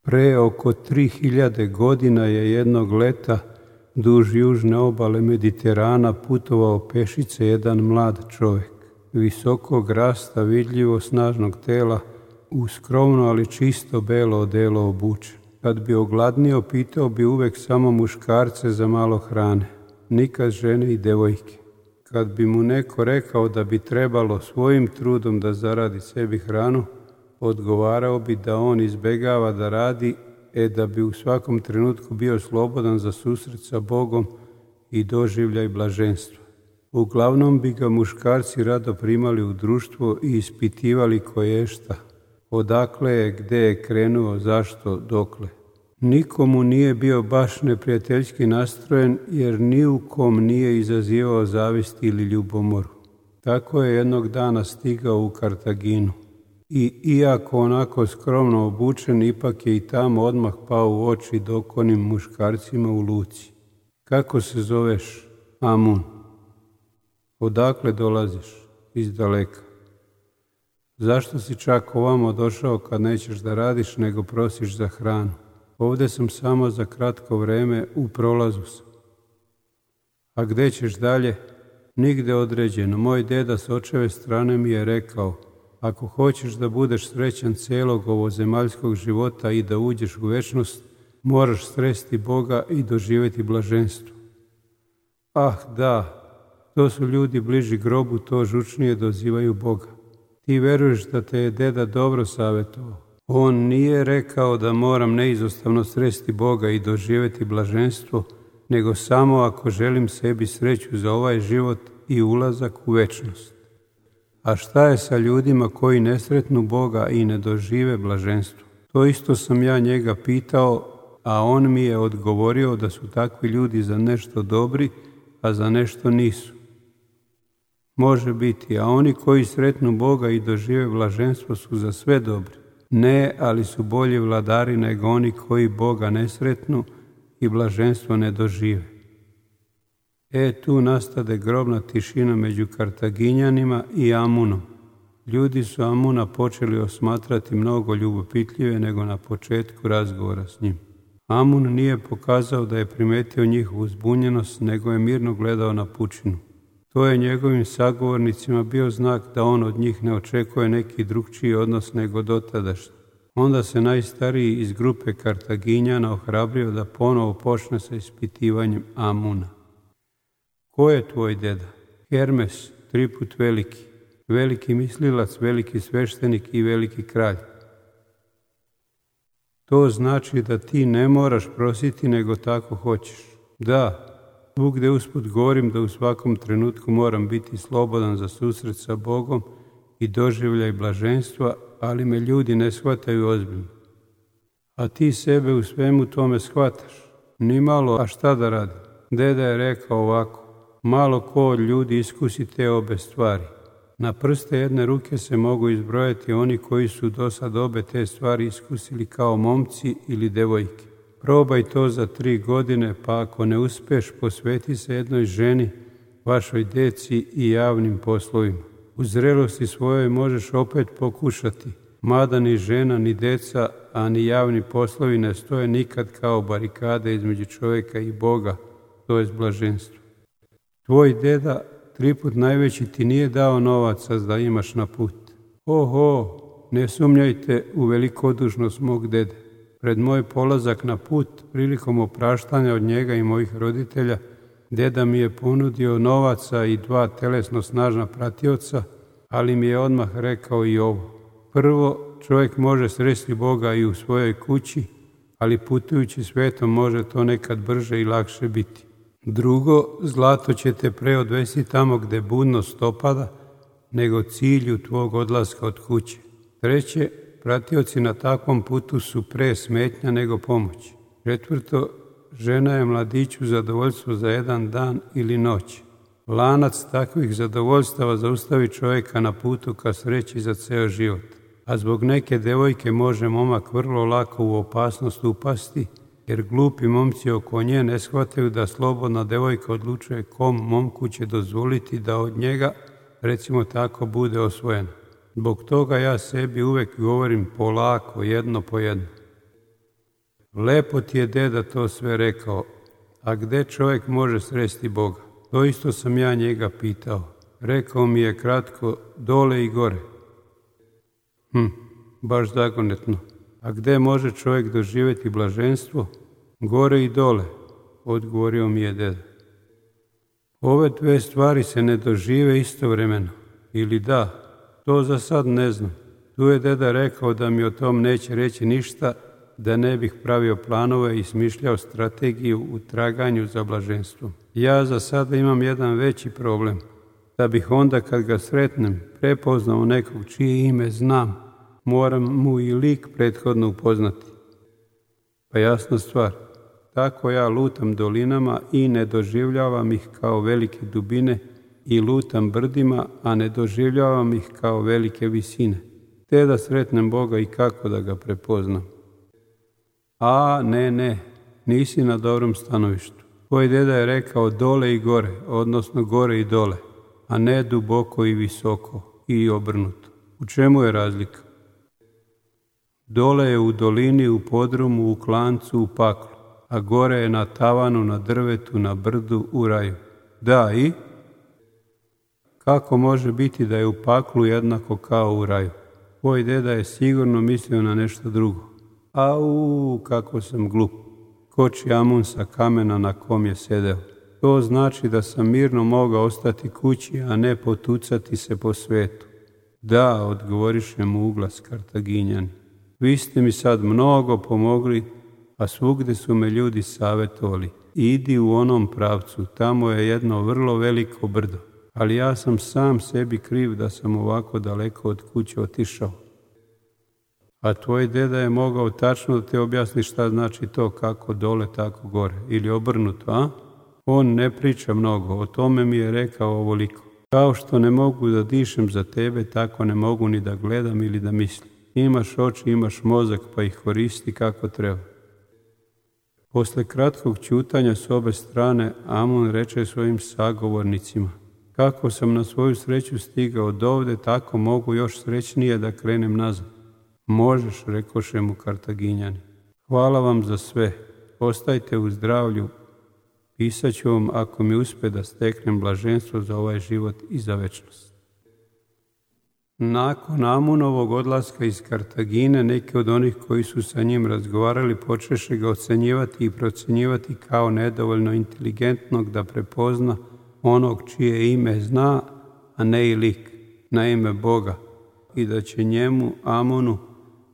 Pre oko 3000 godina je jednog leta duž južne obale Mediterana putovao pešice jedan mlad čovjek, visokog rasta, vidljivo snažnog tela, u skromno ali čisto belo odelo obučen. Kad bi ogladnio, pitao bi uvek samo muškarce za malo hrane, nikad žene i devojke. Kad bi mu neko rekao da bi trebalo svojim trudom da zaradi sebi hranu, odgovarao bi da on izbegava da radi, da bi u svakom trenutku bio slobodan za susret sa Bogom i doživljaj blaženstva. Uglavnom bi ga muškarci rado primali u društvo i ispitivali koješta, odakle je, gde je krenuo, zašto, dokle. Nikomu nije bio baš neprijateljski nastrojen, jer ni u kom nije izazivao zavist ili ljubomoru. Tako je jednog dana stigao u Kartaginu. I iako onako skromno obučen, ipak je i tamo odmah pao u oči dokonim muškarcima u luci. Kako se zoveš? Amun. Odakle dolaziš? Iz daleka. Zašto si čak ovamo došao kad nećeš da radiš, nego prosiš za hranu? Ovdje sam samo za kratko vreme, u prolazu sam. A gde ćeš dalje? Nigde određeno. Moj deda s očeve strane mi je rekao, ako hoćeš da budeš srećan celog ovozemaljskog života i da uđeš u večnost, moraš sresti Boga i doživjeti blaženstvo. Ah, da, to su ljudi bliži grobu, to žučnije dozivaju Boga. Ti veruješ da te je deda dobro savjetovao. On nije rekao da moram neizostavno sresti Boga i doživjeti blaženstvo, nego samo ako želim sebi sreću za ovaj život i ulazak u večnost. A šta je sa ljudima koji ne sretnu Boga i ne dožive blaženstvo? To isto sam ja njega pitao, a on mi je odgovorio da su takvi ljudi za nešto dobri, a za nešto nisu. Može biti, a oni koji sretnu Boga i dožive blaženstvo su za sve dobri. Ne, ali su bolji vladari nego oni koji Boga ne sretnu i blaženstvo ne dožive. Tu nastade grobna tišina među Kartaginjanima i Amunom. Ljudi su Amuna počeli osmatrati mnogo ljubopitljive nego na početku razgovora s njim. Amun nije pokazao da je primetio njihovu zbunjenost, nego je mirno gledao na pučinu. To je njegovim sagovornicima bio znak da on od njih ne očekuje neki drugčiji odnos nego dotadašnji. Onda se najstariji iz grupe Kartaginjana ohrabrio da ponovo počne sa ispitivanjem Amuna. Ko je tvoj deda? Hermes, 3 put veliki, veliki mislilac, veliki sveštenik i veliki kralj. To znači da ti ne moraš prositi, nego tako hoćeš. Da, svugde usput govorim da u svakom trenutku moram biti slobodan za susret sa Bogom i doživljaj blaženstva, ali me ljudi ne shvataju ozbiljno. A ti sebe u svemu tome shvataš. Ni malo, a šta da radim? Deda je rekao ovako, malo ko od ljudi iskusi te obe stvari. Na prste jedne ruke se mogu izbrojati oni koji su do sad obe te stvari iskusili kao momci ili devojke. Probaj to za 3 godine, pa ako ne uspeš, posveti se jednoj ženi, vašoj deci i javnim poslovima. U zrelosti svojoj možeš opet pokušati, mada ni žena, ni deca, a ni javni poslovi ne stoje nikad kao barikade između čovjeka i Boga, to je blaženstvo. Tvoj deda, 3 put najveći, ti nije dao novaca da imaš na put. Oho, ne sumnjajte u velikodušnost mog dede. Pred moj polazak na put, prilikom opraštanja od njega i mojih roditelja, deda mi je ponudio novaca i 2 telesno snažna pratioca, ali mi je odmah rekao i ovo. Prvo, čovjek može sresti Boga i u svojoj kući, ali putujući svetom može to nekad brže i lakše biti. Drugo, zlato će te pre odvesti tamo gde budnost opada, nego cilju tvog odlaska od kuće. Treće, pratioci na takvom putu su pre smetnja nego pomoć. Četvrto, žena je mladiću zadovoljstvo za jedan dan ili noć. Lanac takvih zadovoljstava zaustavi čovjeka na putu ka sreći za ceo život. A zbog neke devojke može momak vrlo lako u opasnost upasti, jer glupi momci oko nje ne shvataju da slobodna devojka odlučuje kom momku će dozvoliti da od njega, recimo tako, bude osvojena. Zbog toga ja sebi uvek govorim polako, jedno po jedno. Lepo ti je deda to sve rekao, a gde čovjek može sresti Boga? To isto sam ja njega pitao. Rekao mi je kratko, dole i gore. Baš zagonetno. A gde može čovjek doživjeti blaženstvo? Gore i dole, odgovorio mi je deda. Ove dve stvari se ne dožive istovremeno. Ili da, to za sad ne znam. Tu je deda rekao da mi o tom neće reći ništa, da ne bih pravio planove i smišljao strategiju u traganju za blaženstvom. Ja za sada imam jedan veći problem, da bih onda kad ga sretnem prepoznao nekog čije ime znam, moram mu i lik prethodno upoznati. Pa jasna stvar, tako ja lutam dolinama i ne doživljavam ih kao velike dubine i lutam brdima, a ne doživljavam ih kao velike visine, te da sretnem Boga i kako da ga prepoznam. A ne, nisi na dobrom stanovištu. Tvoj deda je rekao dole i gore, odnosno gore i dole, a ne duboko i visoko i obrnuto. U čemu je razlika? Dole je u dolini, u podrumu, u klancu, u paklu, a gore je na tavanu, na drvetu, na brdu, u raju. Da, i? Kako može biti da je u paklu jednako kao u raju? Tvoj deda je sigurno mislio na nešto drugo. Au, kako sam glup. Koči Amun sa kamena na kom je sedeo. To znači da sam mirno mogao ostati kući, a ne potucati se po svetu. Da, odgovoriše mu uglas Kartaginjani. Vi ste mi sad mnogo pomogli, a svugde su me ljudi savjetovali. Idi u onom pravcu, tamo je jedno vrlo veliko brdo. Ali ja sam sam sebi kriv da sam ovako daleko od kuće otišao. A tvoj deda je mogao tačno da te objasni šta znači to, kako dole, tako gore. Ili obrnuto, a? On ne priča mnogo, o tome mi je rekao ovoliko. Kao što ne mogu da dišem za tebe, tako ne mogu ni da gledam ili da mislim. Imaš oči, imaš mozak, pa ih koristi kako treba. Posle kratkog ćutanja s obe strane, Amun reče svojim sagovornicima. Kako sam na svoju sreću stigao od ovde, tako mogu još srećnije da krenem nazad. Možeš, rekoše mu Kartaginjani. Hvala vam za sve. Ostajte u zdravlju. Pisat ću vam ako mi uspe da steknem blaženstvo za ovaj život i za večnost. Nakon Amunovog odlaska iz Kartagine, neki od onih koji su sa njim razgovarali počeše ga ocenjivati i procenjivati kao nedovoljno inteligentnog da prepozna onog čije ime zna, a ne i lik, na ime Boga, i da će njemu, Amunu,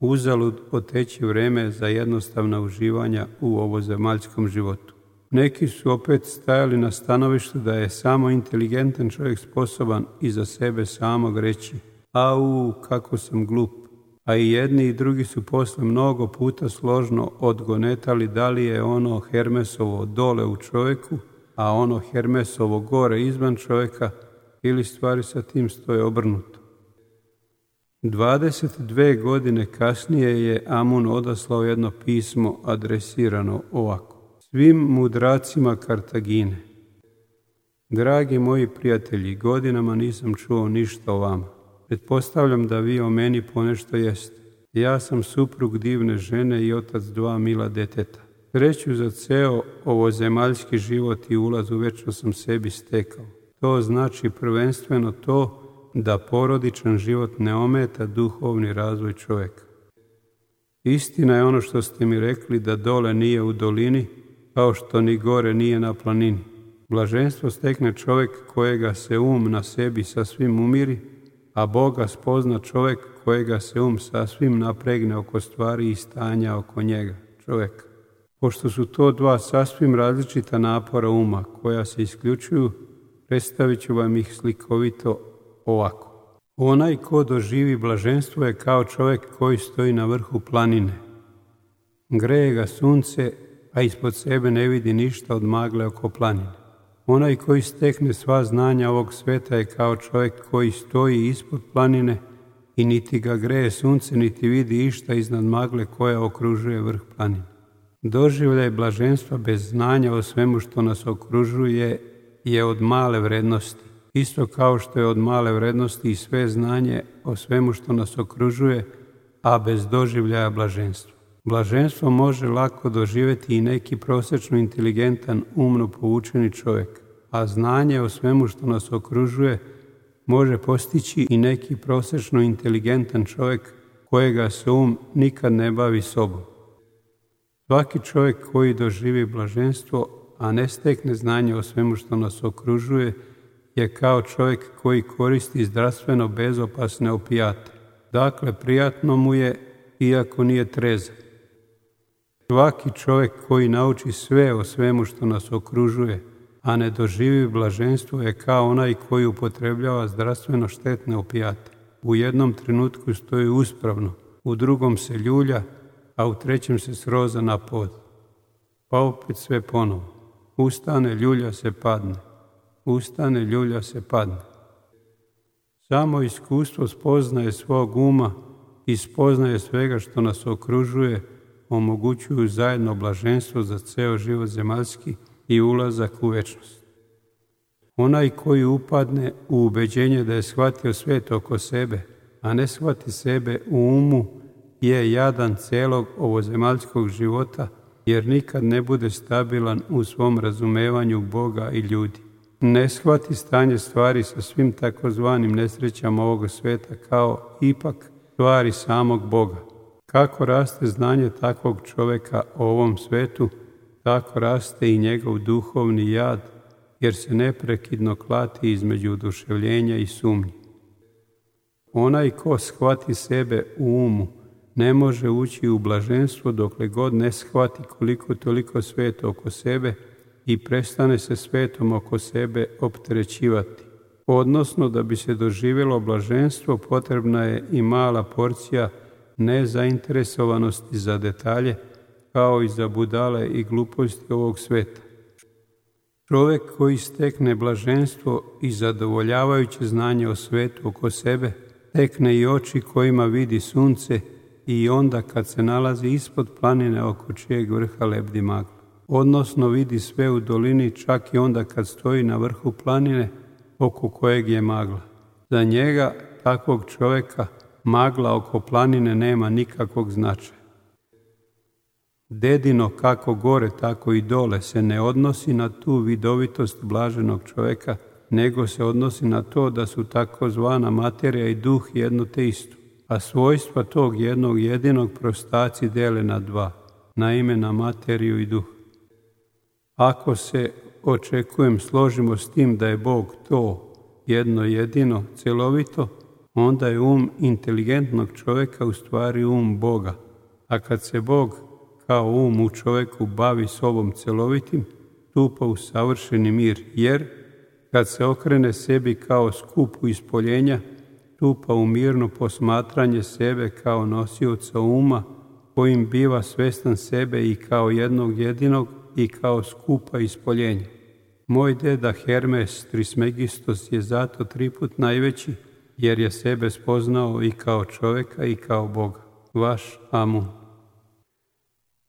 uzalud poteći vreme za jednostavna uživanja u ovozemaljskom životu. Neki su opet stajali na stanovištu da je samo inteligentan čovjek sposoban i za sebe samog reći au, kako sam glup. A i jedni i drugi su posle mnogo puta složno odgonetali da li je ono Hermesovo dole u čovjeku, a ono Hermesovo gore izvan čovjeka, ili stvari sa tim stoje obrnuto. 22 godine kasnije je Amun odaslao jedno pismo adresirano ovako. Svim mudracima Kartagine. Dragi moji prijatelji, godinama nisam čuo ništa o vama. Pretpostavljam da vi o meni ponešto jeste. Ja sam suprug divne žene i otac 2 mila deteta. Sreću za ceo ovozemaljski život i ulaz u večno sam sebi stekao. To znači prvenstveno to da porodičan život ne ometa duhovni razvoj čovjeka. Istina je ono što ste mi rekli da dole nije u dolini, kao što ni gore nije na planini. Blaženstvo stekne čovjek kojega se na sebi sasvim umiri, a Boga spozna čovjek kojega se sasvim napregne oko stvari i stanja oko njega, čovjeka. Pošto su to dva sasvim različita napora uma koja se isključuju, predstavit ću vam ih slikovito ovako. Onaj ko doživi blaženstvo je kao čovjek koji stoji na vrhu planine. Greje ga sunce, a ispod sebe ne vidi ništa od magle oko planine. Onaj koji stekne sva znanja ovog sveta je kao čovjek koji stoji ispod planine i niti ga greje sunce, niti vidi išta iznad magle koja okružuje vrh planine. Doživljaj blaženstva bez znanja o svemu što nas okružuje je od male vrednosti, isto kao što je od male vrednosti i sve znanje o svemu što nas okružuje, a bez doživljaja blaženstva. Blaženstvo može lako doživjeti i neki prosječno inteligentan, umno poučeni čovjek, a znanje o svemu što nas okružuje može postići i neki prosječno inteligentan čovjek kojega se nikad ne bavi sobom. Svaki čovjek koji doživi blaženstvo, a ne stekne znanje o svemu što nas okružuje, je kao čovjek koji koristi zdravstveno bezopasne opijate. Dakle, prijatno mu je, iako nije trezan. Svaki čovjek koji nauči sve o svemu što nas okružuje, a ne doživi blaženstvo, je kao onaj koji upotrebljava zdravstveno štetne opijate. U jednom trenutku stoji uspravno, u drugom se ljulja, a u trećem se sroza na pod. Pa opet sve ponovo. Ustane, ljulja se, padne. Ustane, ljulja se, padne. Samo iskustvo spoznaje svog uma i spoznaje svega što nas okružuje omogućuju zajedno blaženstvo za ceo život zemaljski i ulazak u večnost. Onaj koji upadne u ubeđenje da je shvatio svet oko sebe, a ne shvati sebe u umu, je jadan celog ovozemaljskog života, jer nikad ne bude stabilan u svom razumevanju Boga i ljudi. Ne shvati stanje stvari sa svim takozvanim nesrećama ovog sveta kao ipak stvari samog Boga. Kako raste znanje takvog čovjeka o ovom svetu, tako raste i njegov duhovni jad, jer se neprekidno klati između oduševljenja i sumnji. Onaj ko shvati sebe u umu, ne može ući u blaženstvo dokle god ne shvati koliko toliko svet oko sebe i prestane se svetom oko sebe opterećivati. Odnosno, da bi se doživjelo blaženstvo, potrebna je i mala porcija nezainteresovanosti za detalje, kao i za budale i gluposti ovog sveta. Čovjek koji stekne blaženstvo i zadovoljavajuće znanje o svetu oko sebe, stekne i oči kojima vidi sunce i onda kad se nalazi ispod planine oko čijeg vrha lebdi magla. Odnosno vidi sve u dolini čak i onda kad stoji na vrhu planine oko kojeg je magla. Za njega, takvog čovjeka, magla oko planine nema nikakvog značaja. Dedino kako gore, tako i dole se ne odnosi na tu vidovitost blaženog čovjeka, nego se odnosi na to da su takozvana materija i duh jedno te isto, a svojstva tog jednog jedinog prostaci dele na dva, naime na materiju i duh. Ako se, očekujem, složimo s tim da je Bog to jedno jedino, celovito, onda je inteligentnog čovjeka u stvari Boga. A kad se Bog kao u čovjeku bavi sobom celovitim, stupa u savršeni mir, jer kad se okrene sebi kao skupu ispoljenja, stupa u mirno posmatranje sebe kao nosioca uma, kojim biva svestan sebe i kao jednog jedinog i kao skupa ispoljenja. Moj deda Hermes Trismegistos je zato 3 put najveći, jer je sebe spoznao i kao čovjeka i kao Boga. Vaš Amun.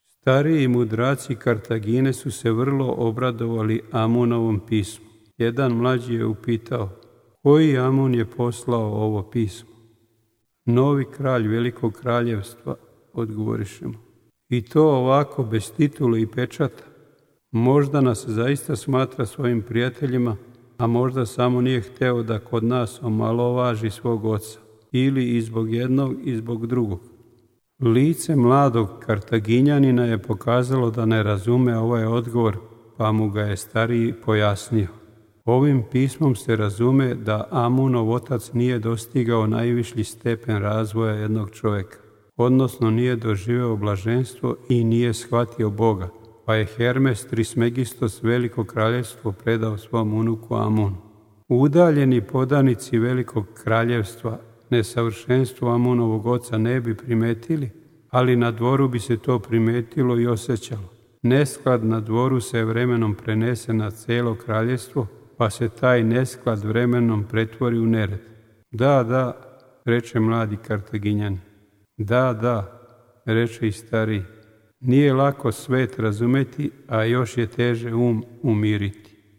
Stariji mudraci Kartagine su se vrlo obradovali Amunovom pismu. Jedan mlađi je upitao, koji Amun je poslao ovo pismo? Novi kralj velikog kraljevstva, odgovoriše mu. I to ovako bez titule i pečata. Možda nas zaista smatra svojim prijateljima, a možda samo nije hteo da kod nas omalovaži svog oca, ili i zbog jednog i zbog drugog. Lice mladog Kartaginjanina je pokazalo da ne razume ovaj odgovor, pa mu ga je stariji pojasnio. Ovim pismom se razume da Amunov otac nije dostigao najviši stepen razvoja jednog čovjeka, odnosno nije doživeo blaženstvo i nije shvatio Boga, pa je Hermes Trismegistos veliko kraljevstvo predao svom unuku Amunu. Udaljeni podanici velikog kraljevstva nesavršenstvo Amunovog oca ne bi primetili, ali na dvoru bi se to primetilo i osjećalo. Nesklad na dvoru se vremenom prenese na cijelo kraljevstvo, pa se taj nesklad vremenom pretvori u nered. Da, reče mladi Kartaginjan. Da, reče i stariji. Nije lako svet razumeti, a još je teže umiriti.